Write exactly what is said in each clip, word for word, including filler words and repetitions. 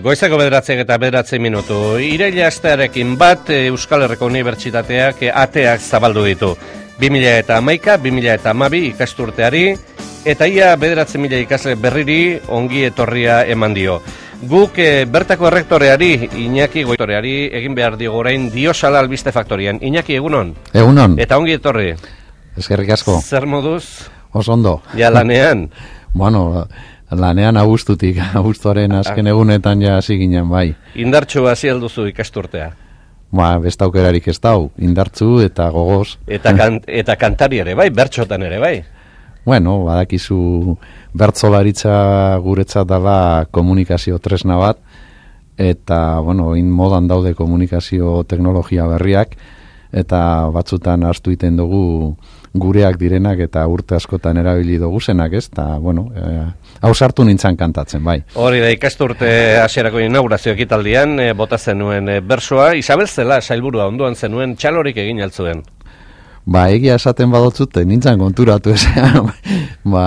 Goizeko bederatziak eta bederatzi minutu. Iraila astearekin bat Euskal Herriko Unibertsitateak ateak zabaldu ditu. bi mila hamaika bi mila hamabi ikasturteari eta ia bederatzi mila ikasle berriri ongi etorria eman dio. Guk e, bertako errektoreari, Iñaki Goitoreari, egin behar diogu orain Diosala Albiste Faktorian. Iñaki, egunon? Egunon. Eta ongi etorri. Eskerrik asko. Zer moduz? Oso ondo. Ja lanean? Bueno, lanean abuztutik, abuztuaren azken egunetan ja hasi ginen, bai. Indartxu hasi alduzu ikasturtea? Ba, beste aukerarik ez dau, indartzu eta gogoz. Eta, kan, eta kantari ere bai, bertxotan ere bai? Bueno, badakizu bertzolaritza guretzat dela komunikazio tresna bat, eta, bueno, in modan daude komunikazio teknologia berriak, eta batzutan hartu iten dugu gureak direnak eta urte askotan erabili dugu zenak, ez? Eta, bueno, eh, hau sartu nintzen kantatzen, bai. Hori da, ikasturte hasierako inaugurazio ekitaldian, e, bota zenuen e, bersoa, Isabel Zela, sailburua onduan zenuen, txalorik egin altzuen. Ba, egia esaten badotzute, nintzen konturatu ezean, ba,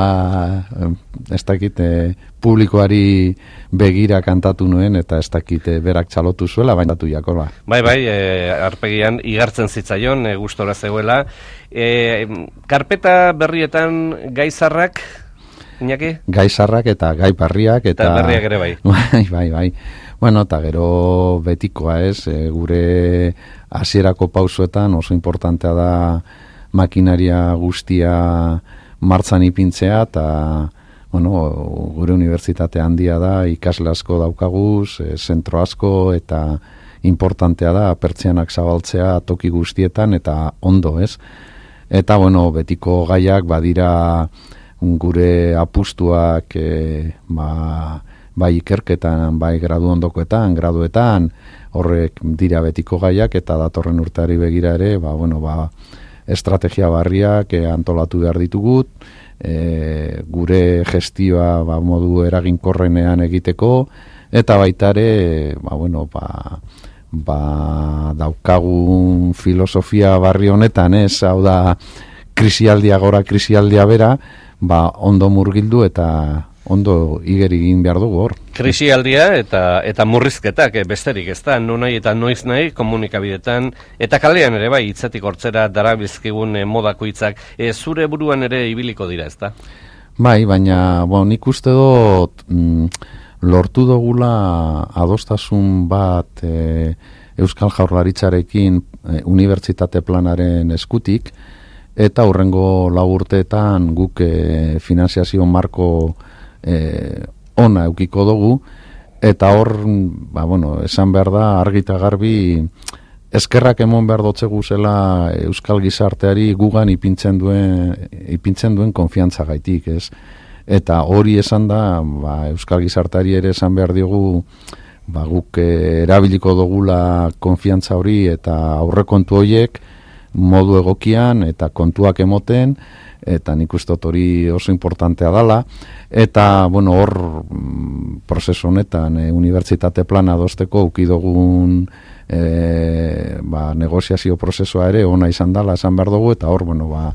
ez dakit, e, publikoari begira kantatu nuen, eta ez dakit e, berak txalotu zuela, baina datu jako, ba. Bai, bai, e, arpegian igartzen zitzaion, e, gustora zegoela. E, karpeta berrietan gaizarrak, Iñaki? Gaizarrak eta gai barriak, eta... Eta berriak ere bai. Bai, bai, bai. Bueno, eta gero betikoa ez, e, gure hasierako pausoetan oso importantea da makinaria guztia martzan ipintzea, eta bueno, gure unibertsitate handia da, ikasle asko daukaguz, e, zentro asko, eta importantea da pertsianak zabaltzea toki guztietan, eta ondo ez. Eta bueno, betiko gaiak badira gure apustuak e, ba, bai ikerketan, bai gradu ondokoetan, graduetan, horrek dira betiko gaiak, eta datorren urteari begira ere, ba, bueno, ba, estrategia barriak e, antolatu behar ditugut, e, gure gestioa ba, modu eraginkorrenean egiteko, eta baita ere, ba, bueno, ba, ba, daukagun filosofia barri honetan, ez, hau da, krisialdia gora, krisialdia bera, ba, ondo murgildu eta ondo igeri egin behar dugu hor. Krisialdia eta eta murrizketak e, besterik ez da, nonai eta noiz nahi komunikabidetan, eta kalean ere bai, hitzetik hortzera darabilzkigun e, modako hitzak, e, zure buruan ere ibiliko dira, ez da? Bai, baina, bon, nik uste dut mm, lortu dugula adostasun bat e, Euskal Jaurlaritzarekin e, unibertsitate planaren eskutik, eta hurrengo lau urteetan guk e, finanziazio marko e, ona eukiko dugu, eta hor, ba, bueno, esan behar da, argita garbi, eskerrak emon behar dotzegu zela Euskal Gizarteari gugan ipintzen duen, ipintzen duen konfiantza gaitik, ez? Eta hori esan da, ba, Euskal Gizarteari ere esan behar diogu, ba, guk e, erabiliko dugula konfiantza hori eta aurrekontu horiek, modu egokian eta kontuak emoten, eta nik uste hori oso importantea dala, eta bueno, hor prozesu honetan e, unibertsitate plana adosteko ukidogun e, ba, negoziazio prozesua ere ona izan dala esan behar dugu, eta hor, bueno, ba,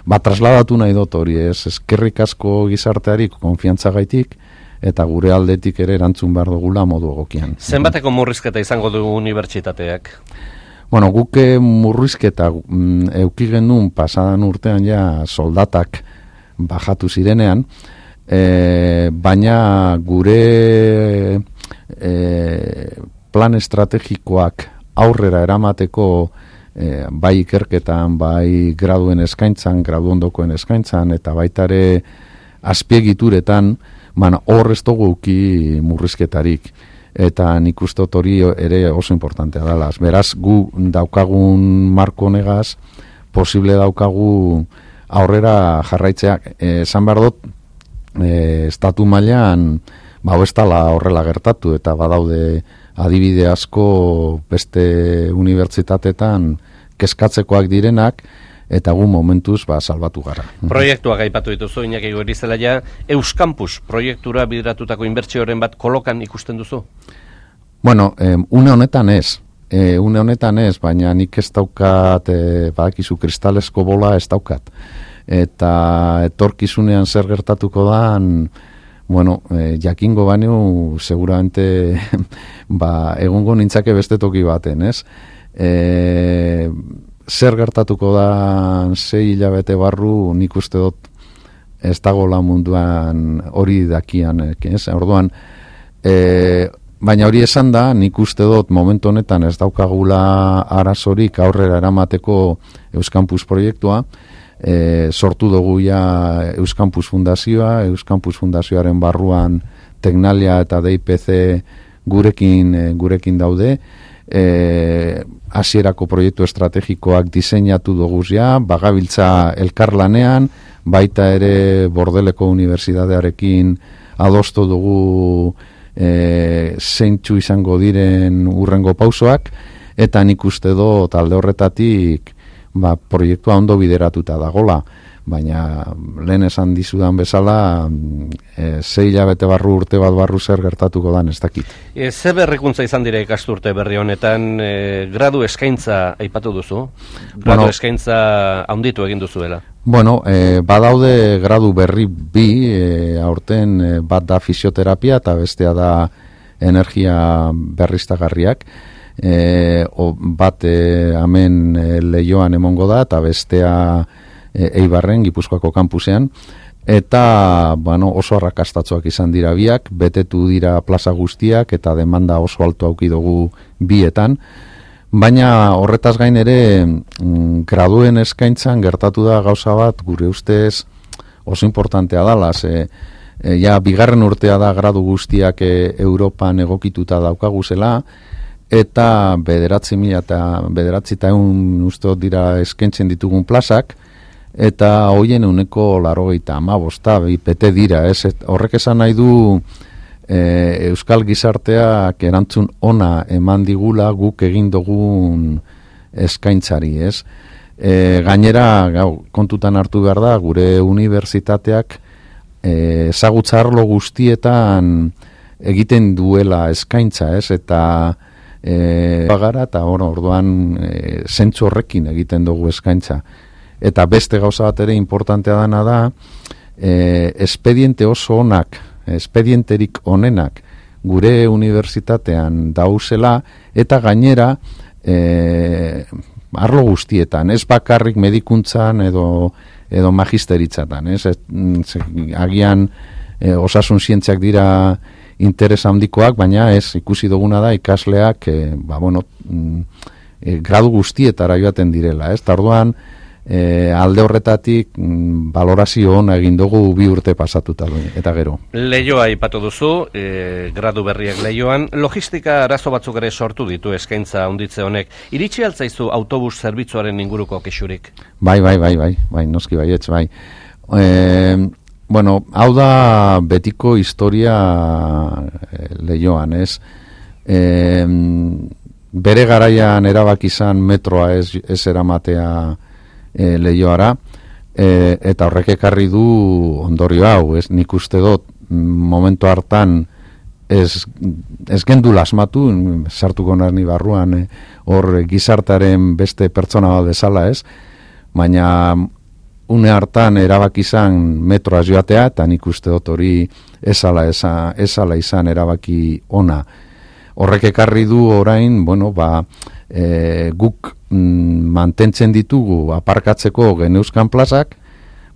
ba trasladatu nahi dut hori, ez, eskerrik asko gizarteari konfiantza gaitik, eta gure aldetik ere erantzun behar dugula modu egokian. Zenbateko murrizketa izango du unibertsitateak? Bueno, guke murrizketa mm, euki genuen pasadan urtean ja soldatak bajatu zirenean, e, baina gure e, plan estrategikoak aurrera eramateko e, bai ikerketan, bai graduen eskaintzan, gradu ondokoen eskaintzan, eta baita ere azpiegituretan, baina hor ez dugu euki murrizketarik. Eta nik uste hori ere oso importantea dela. Beraz, gu daukagun marko honegaz, posible daukagu aurrera jarraitzeak. Esan behar dut, e, estatu mailan, ba, ez dela horrela gertatu, eta badaude adibide asko beste unibertsitatetan kezkatzekoak direnak, eta gu momentuz ba, salbatu gara. Proiektuak aipatu dituzu, Iñaki Goirizelaia, Euskampus proiektura bideratutako inbertsioren bat kolokan ikusten duzu? Bueno, eh, une honetan ez. Eh, une honetan ez, baina nik ez daukat, eh, badakizu kristalesko bola ez daukat. Eta etorkizunean zer gertatuko dan, bueno, eh, jakingo baino seguramente ba, egongo nintzake beste toki baten, ez? E, zer gertatuko da sei hilabete barru, nik uste dut ez dagoela munduan hori dakian, ez? Orduan, e, baina hori esan da, nik uste dut momentu honetan ez daukagula arazorik aurrera eramateko Euskampus proiektua, e, sortu dugu ja Euskampus Fundazioa, Euskampus Fundazioaren barruan Teknalia eta D I P C gurekin, gurekin daude, e, hasierako proiektu estrategikoak diseinatu dugu ja, bagabiltza elkarlanean, baita ere Bordeleko Unibertsitatearekin adostu dugu e, zeintzu izango diren urrengo pausoak, eta nik uste dut alde horretatik ba, proiektua ondo bideratuta dagola, baina lehen esan dizudan bezala e, sei hilabete barru urte bat barru zer gertatuko dan ez dakit. E, ze berrikuntza izan dira ikasturte berri honetan, e, gradu eskaintza aipatu duzu? Gradu bueno, eskaintza handitu egin duzuela? Bueno, e, badaude gradu berri bi, e, aurten e, bat da fisioterapia eta bestea da energia berriztagarriak. E, o, bat e, hemen e, Leioan emongo da eta bestea e, Eibarren, Gipuzkoako kampusean, eta bueno, oso arrakastatsuak izan dira biak, betetu dira plaza guztiak eta demanda oso alto auki dugu bietan, baina horretaz gain ere mm, graduen eskaintzan gertatu da gauza bat gure ustez oso importantea dala, ze e, ja bigarren urtea da gradu guztiak e, Europan egokituta daukaguzela, eta bederatzi mila eta bederatzi eta egun uste dira eskaintzen ditugun plazak, eta hoien uneko larogeita amabosta, bete dira, ez? Horrek esan nahi du e, Euskal Gizarteak erantzun ona eman digula guk egin dugun eskaintzari, ez? E, gainera, gau, kontutan hartu behar da, gure unibertsitateak ezagutza e, arlo guztietan egiten duela eskaintza, ez? Eta E, bagara eta bueno, orduan e, zentzu horrekin egiten dugu eskaintza. Eta beste gauza bat ere importantea dana da, e, espediente oso onak, espedienterik onenak gure unibertsitatean dauzela, eta gainera e, arlo guztietan, ez bakarrik medikuntzan edo, edo magisteritzatan, ez? Ez, agian e, osasun zientziak dira interes handikoak, baina ez ikusi duguna da ikasleak e, ba, bueno, e, gradu guztietara joaten direla, ez? Tarduan e, alde horretatik mm, valorazio ona egin dugu bi urte pasatuta eta gero. Leioa aipatu duzu, e, gradu berriak Leioan, logistika arazo batzuk ere sortu ditu eskaintza handitze honek. Iritsi altzaizu autobus zerbitzuaren inguruko kexurik? Bai, bai, bai, bai, bai, noski baietz, bai. E, Bueno, hau da betiko historia e, Leioan, ez? E, bere garaian erabaki izan metroa ez, ez eramatea e, Leioara, e, eta horrek ekarri du ondorio hau, ez? Nik uste dut momentu hartan ez, ez gendu lasmatu, sartuko narni barruan, e, hor gizartaren beste pertsona bat bezala, ez? Baina une hartan erabaki izan metroa joatea, eta nik uste dut hori ezala, ezala izan erabaki ona. Horrek ekarri du orain, bueno, ba, e, guk mm, mantentzen ditugu aparkatzeko geneuzkan plazak,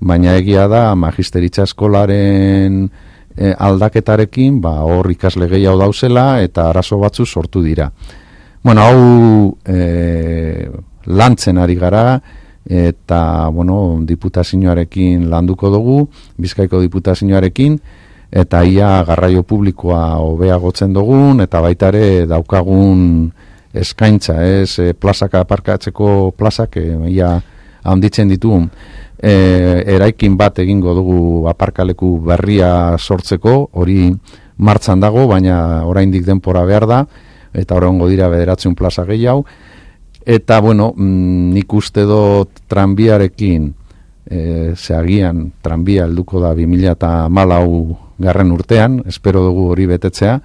baina egia da magisteritza eskolaren e, aldaketarekin, ba, hor ikasle gehiago dauzela, eta arazo batzu sortu dira. Bueno, hau e, lantzen ari gara, eta, bueno, diputazioarekin landuko dugu, Bizkaiko diputazioarekin, eta ia garraio publikoa hobeagotzen dugun, eta baita ere daukagun eskaintza, ez, e, plazaka aparkatzeko plazak, e, ia handitzen ditugun. E, eraikin bat egingo dugu aparkaleku berria sortzeko, hori martxan dago, baina oraindik denpora behar da, eta oraingo dira bederatzen plaza gehiago. Eta, bueno, mm, nik uste dut tranbiarekin, e, zeagian tranbia helduko da bi mila hamalau garren urtean, espero dugu hori betetzea,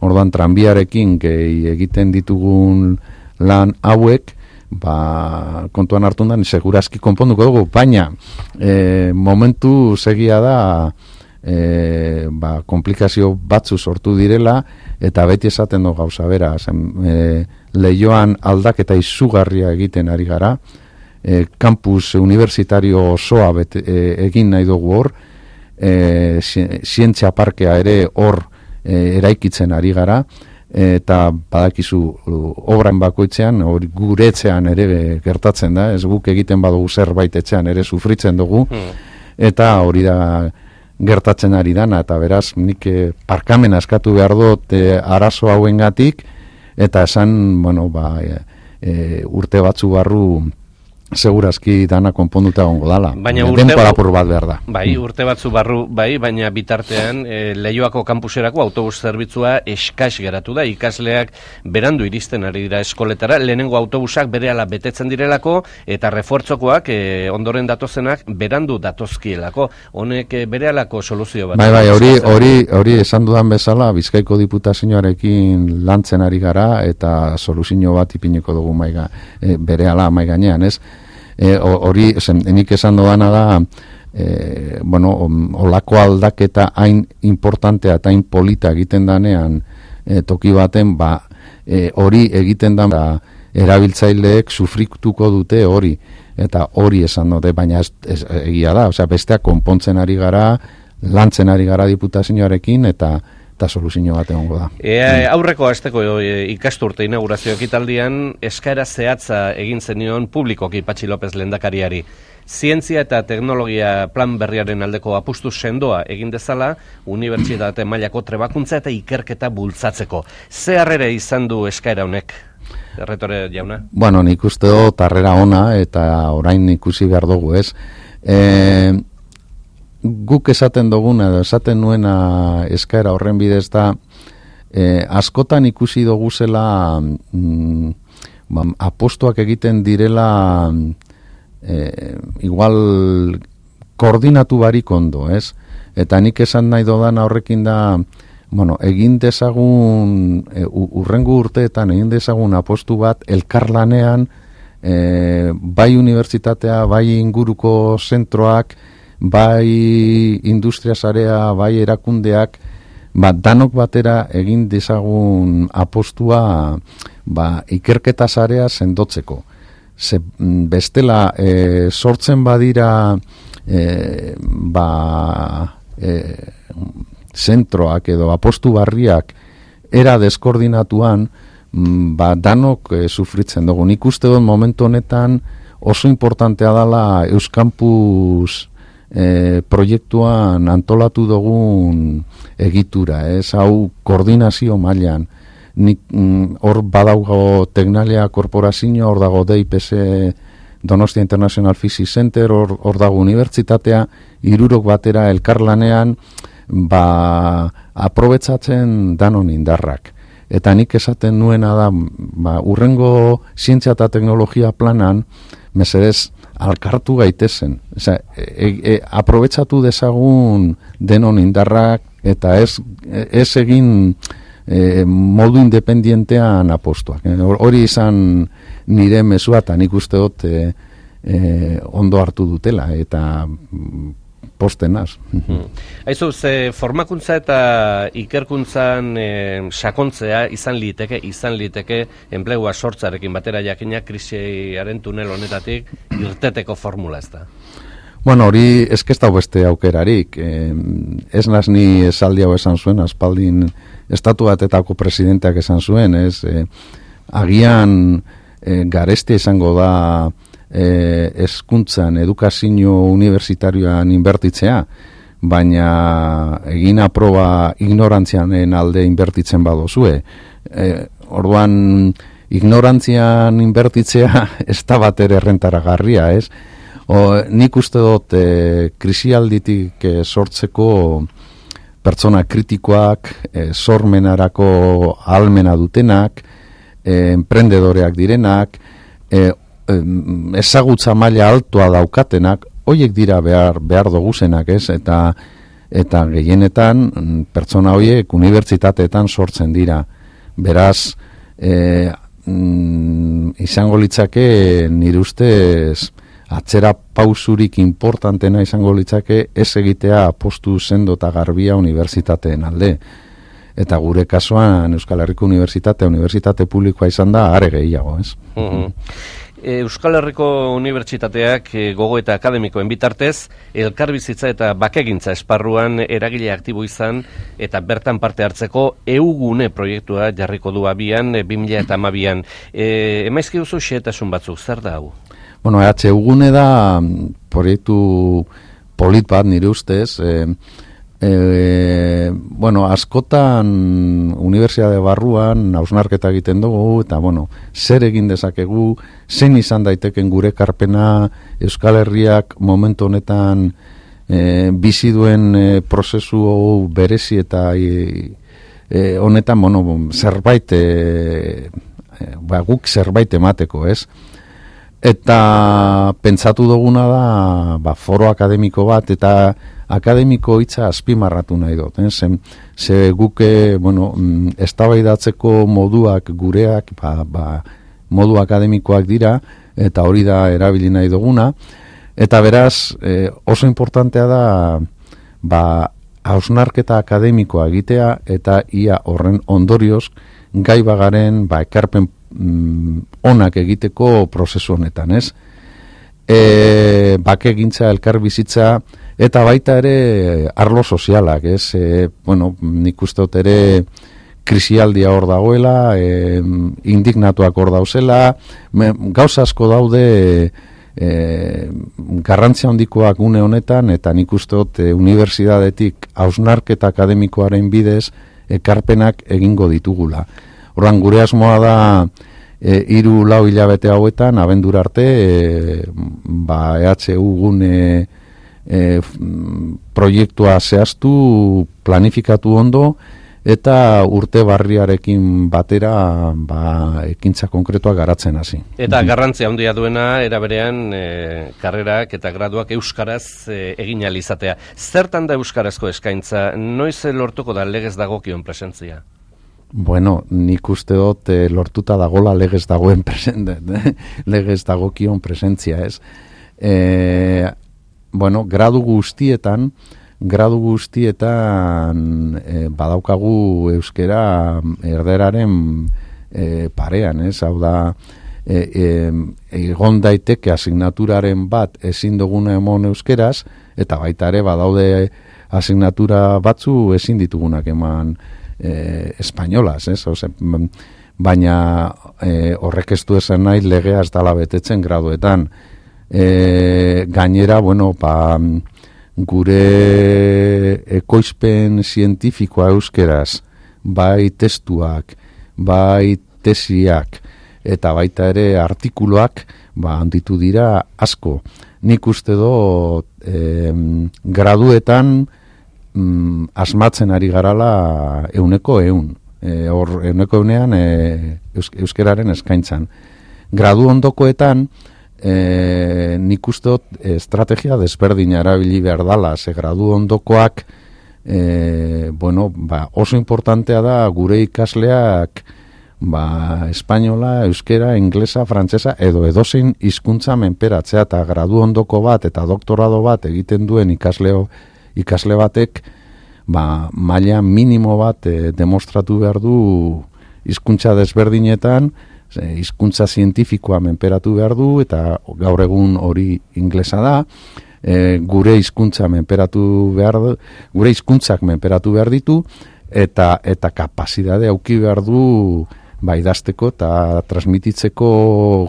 orduan tranbiarekin gehi egiten ditugun lan hauek, ba, kontuan hartu da, segurazki konponduko dugu, baina e, momentu segia da e, ba, komplikazio batzu sortu direla, eta beti esaten du gauza bera, e, Leioan aldaketa izugarria egiten ari gara, e, kampus universitario osoa bete, e, egin nahi dugu hor, e, zientzia parkea ere hor e, eraikitzen ari gara, eta badakizu obran bakoitzean, hori guretzean ere gertatzen da, ez guk egiten badugu zerbait etxean ere sufritzen dugu, hmm. eta hori da gertatzen ari dana, eta beraz nik parkamen askatu behar dut e, arazo hauengatik, eta esan, bueno, ba, e, e, urte batzu barru segurazki dana konponduta egongo dala. Baina urte lapur bat behar da. Bai, urte batzu barru, bai, baina bitartean e, Leioako kampuserako autobus zerbitzua eskas geratu da. Ikasleak berandu iristen ari dira eskoletara, lehenengo autobusak berehala betetzen direlako, eta refuertzokoak e, ondoren datozenak berandu datozkielako. Honek e, berehalako soluzio bat. Bai, bai, hori, hori, hori esan dudan bezala, Bizkaiko diputazioarekin lantzen ari gara, eta soluzio bat ipiniko dugu maiga, e, berehala mai gainean, ez? Hori, e, nik esan dodana da, e, bueno, olako aldaketa hain importantea eta hain polita egiten danean e, toki baten, ba, hori e, egiten da, erabiltzaileek sufrituko dute hori, eta hori esan dute, baina ez, ez, egia da, osea, besteak konpontzen ari gara, lantzen ari gara diputazioarekin, eta eta soluzio bat egongo da. E, aurreko asteko e, ikasturte inaugurazio ekitaldian eskaera zehatza egin zenion publikoki Patxi López lehendakariari. Zientzia eta teknologia plan berriaren aldeko apustu sendoa egin dezala, unibertsitate mailako trebakuntza eta ikerketa bultzatzeko. Ze harrera izan du eskaera honek, erretore jauna? Bueno, nik uste dut harrera ona, eta orain ikusi behar dugu, ez? E, guk esaten duguna, esaten nuena eskaera horren bidez da, e, askotan ikusi dugu zela mm, ba, apostuak egiten direla e, igual koordinatu barik ondo, ez? Eta nik esan nahi dodana horrekin da, bueno, egin dezagun, e, urrengo urteetan egin dezagun apostu bat elkarlanean, e, bai unibertsitatea, bai inguruko zentroak, bai industria sarea, bai erakundeak, ba, danok batera egin dezagun apostua ba, ikerketa sarea sendotzeko. Ze, bestela e, sortzen badira e, ba, e, zentroak edo apostu barriak era deskoordinatuan, ba, danok e, sufritzen dugu. Nik uste dut momentu honetan oso importantea dela Euskampus E, proiektuan antolatu dugun egitura, ez, hau koordinazio mailan. Nik hor mm, badaugo Tecnalia korporazio, hor dago D I P S Donostia International Physics Center, hor, hor dago unibertsitatea, hirurok batera elkarlanean, ba, aprobetzatzen danon indarrak. Eta nik esaten nuena da, ba, urrengo zientzia eta teknologia planan, mesedez, alkartu gaitezen. Osea, e, e, aprobetsatu dezagun denon indarrak, eta ez, ez egin e, modu independientean apostuak. Hori izan nire mezua, eta nik uste dut e, e, ondo hartu dutela, eta postenaz. Hmm. Aizu, ze formakuntza eta ikerkuntzan e, sakontzea izan liteke, izan liteke enplegua sortzarekin batera jakina krisiaren tunel honetatik irteteko formula ez da? Bueno, hori eskesta beste aukerarik. Eh, ez naz ni esaldi hau esan zuen, aspaldin estatu batetako presidenteak esan zuen, ez? Eh, agian eh, gareste izango da Eh, eskuntzan, edukazio universitarioan inbertitzea, baina egin aproba ignorantzianen alde inbertitzen badozue. Eh, orduan, ignorantzian inbertitzea ez da bat ere errentaragarria, ez? O, nik uste dut eh, krisialditik eh, sortzeko pertsona kritikoak, eh, sormenarako ahalmena dutenak, eh, emprendedoreak direnak, eh, ezagutza maila altua daukatenak, hoiek dira behar, behar doguzenak, ez? Eta, eta gehienetan pertsona hoiek unibertsitateetan sortzen dira. Beraz, e, mm, izango litzake nire ustez atzera pausurik importantena izango litzake ez egitea apostu sendo eta garbia unibertsitateen alde. Eta gure kasuan Euskal Herriko Unibertsitatea, unibertsitate publikoa izan da, are gehiago, ez? Uh-huh. Euskal Herriko Unibertsitateak gogo eta akademikoen bitartez, elkarbizitza eta bakegintza esparruan eragile aktibo izan eta bertan parte hartzeko eugune proiektua jarriko du abian bi mila hamabian. E, emaizki duzu xehetasun batzuk, zer da hau? Bueno, E H eugune da proiektu polit bat nire ustez, e, E, bueno, askotan unibertsitate barruan hausnarketa egiten dugu eta bueno, zer egin dezakegu, zein izan daiteken gure ekarpena Euskal Herriak momentu honetan e, bizi duen e, prozesu berezi eta e, e, honetan bueno, zerbait e, e, ba, guk zerbait emateko, ez? Eta pentsatu duguna da ba, foro akademiko bat eta akademiko hitza azpimarratu nahi dut, eh? Ze, ze guke, bueno, eztabaidatzeko moduak gureak, ba, ba, modu akademikoak dira, eta hori da erabili nahi duguna, eta beraz, eh, oso importantea da, ba, hausnarketa akademikoa egitea, eta ia horren ondorioz, gai bagaren, ba, ekarpen mm, onak egiteko prozesu honetan, ez? E, bakegintza, elkarbizitza, eta baita ere arlo sozialak, ez? E, bueno, nik uste dut ere krisialdia hor dagoela, e, indignatuak hor dauzela, gauza asko daude e, garrantzia handikoak une honetan, eta nik uste dut e, unibertsitatetik hausnarketa akademikoaren bidez ekarpenak egingo ditugula. Horran gure asmoa da e, hiru lau hilabete hauetan, abendura arte, e, ba, E H U gune E, proiektua zehaztu, planifikatu ondo eta urte barriarekin batera ba, ekintza konkretua garatzen hasi. Eta garrantzia handia duena eraberean e, karrerak eta graduak euskaraz e, egin ahal izatea. Zertan da euskarazko eskaintza? Noiz lortuko da legez dagokion presentzia? Bueno, nik uste dut e, lortuta dagola legez dagoen presente, legez dagokion presentzia, ez? E, Bueno, gradu guztietan, gradu guztietan e, badaukagu euskera erderaren e, parean, ez? Hau da, e, e, egon daiteke asignaturaren bat ezin duguna emon euskeraz, eta baita ere badaude asignatura batzu ezin ditugunak eman e, espainolaz, ez? Ose, baina e, horrek ez du esan nahi legea ez dala betetzen graduetan. E, gainera, bueno, ba, gure ekoizpen zientifikoa euskeraz, bai testuak, bai tesiak, eta baita ere artikuluak, ba, handitu dira asko. Nik uste dut, e, graduetan mm, asmatzen ari garala euneko eun. E, hor, euneko eunean e, euskeraren eskaintzan. Gradu ondokoetan, E, nik uste dut estrategia desberdina erabili behar dala, ze gradu ondokoak e, bueno, ba, oso importantea da gure ikasleak ba, espainola, euskera, inglesa, frantsesa edo edozein hizkuntza menperatzea, eta gradu ondoko bat eta doktorado bat egiten duen ikasleo, ikasle batek ba, maila minimo bat e, demostratu behar du hizkuntza desberdinetan, hizkuntza zientifikoa menperatu behar du, eta gaur egun hori inglesa da, e, gure hizkuntza menperatu behar du, gure hizkuntzak menperatu behar ditu, eta eta kapazidade auki behar du ba, idazteko eta transmititzeko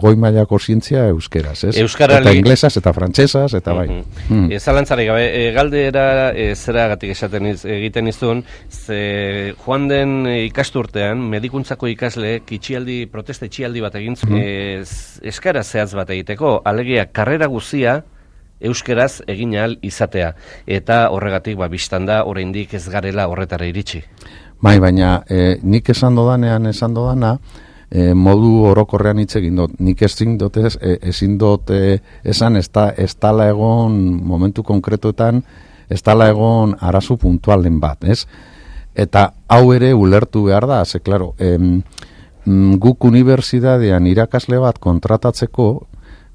goi mailako zientzia euskeraz, ez? Euskara eta inglesaz, eta frantsesaz, eta bai. Mm-hmm. mm. E, zalantzari gabe, e, galdera e, zeragatik esaten iz, egiten izun, ze joan den ikasturtean, medikuntzako ikasleek itxialdi, protesta itxialdi bat egin zuen, mm-hmm. e, eskara zehatz bat egiteko, alegia karrera guzia euskeraz egin ahal izatea, eta horregatik ba, biztan da, oraindik ez garela horretara iritsi. Bai, baina e, nik esan dodanean esan dodana, e, modu orokorrean hitz egin dut. Nik ezin dut ez, e, ezin dut e, esan ez da, ez dala egon momentu konkretuetan, ez dala egon arazo puntualen bat, ez? Eta hau ere ulertu behar da, ze, klaro, em, guk unibertsitatean irakasle bat kontratatzeko,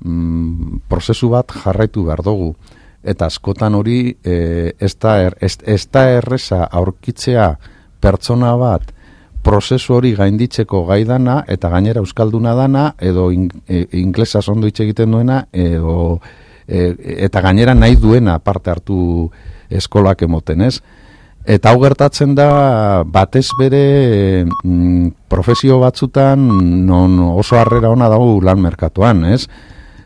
mm, prozesu bat jarraitu behar dugu. Eta askotan hori e, ez da er, ez, ez da erreza aurkitzea pertsona bat prozesu hori gainditzeko gai dana eta gainera euskalduna dana edo in, e, inglesaz ondo hitz egiten duena edo e, eta gainera nahi duena parte hartu eskolak emoten, ez? Eta hau gertatzen da batez bere mm, profesio batzutan non oso harrera ona dago lan merkatuan, ez?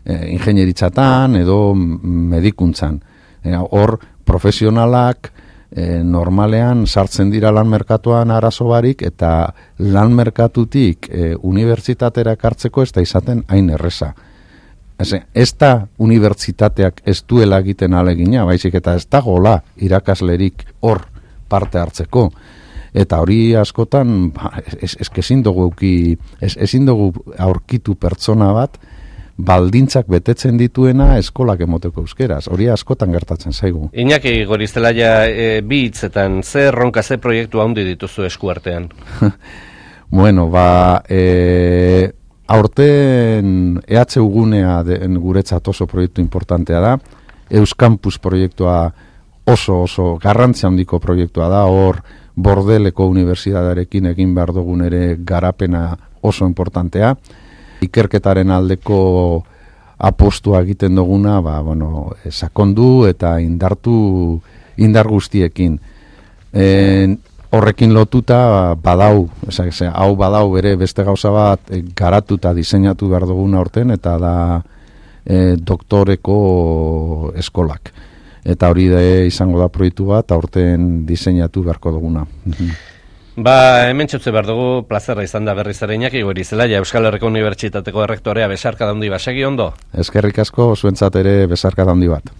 E, ingenieritzatan edo medikuntzan. E, hor profesionalak e, normalean sartzen dira lan merkatuan arazo barik eta lan merkatutik e, unibertsitatera ekartzeko ez da izaten hain erreza. Ez da unibertsitateak ez duela egiten alegina, baizik eta ez da gola irakaslerik hor parte hartzeko. Eta hori askotan ez, ez, ezin dugu euki, ez, ezin dugu aurkitu pertsona bat baldintzak betetzen dituena eskolak emoteko euskeraz. Hori askotan gertatzen zaigu. Iñaki Gorizelaia, e, bi hitzetan, ze erronka, ze proiektu handi dituzu eskuartean? Bueno, ba, e, aurten E H U gunea den guretzat oso proiektu importantea da. Euskampus proiektua oso oso garrantzia handiko proiektua da. Hor Bordeleko unibertsitatearekin egin behar dugun ere garapena oso importantea. Ikerketaren aldeko apostua egiten duguna, ba, bueno, sakondu eta indartu indar guztiekin. E, horrekin lotuta badau, esak, ze, hau badau bere beste gauza bat e, garatuta diseinatu behar duguna horten, eta da e, doktoreko eskolak. Eta hori da izango da proiektu bat, aurten diseinatu beharko duguna. Ba, hemen txutze behar dugu, plazerra izan da berriz ere Iñaki Gorizelaia, Euskal Herriko Unibertsitateko errektorea, besarka da handi basegi ondo? Eskerrik asko, zuentzat ere besarka da handi bat.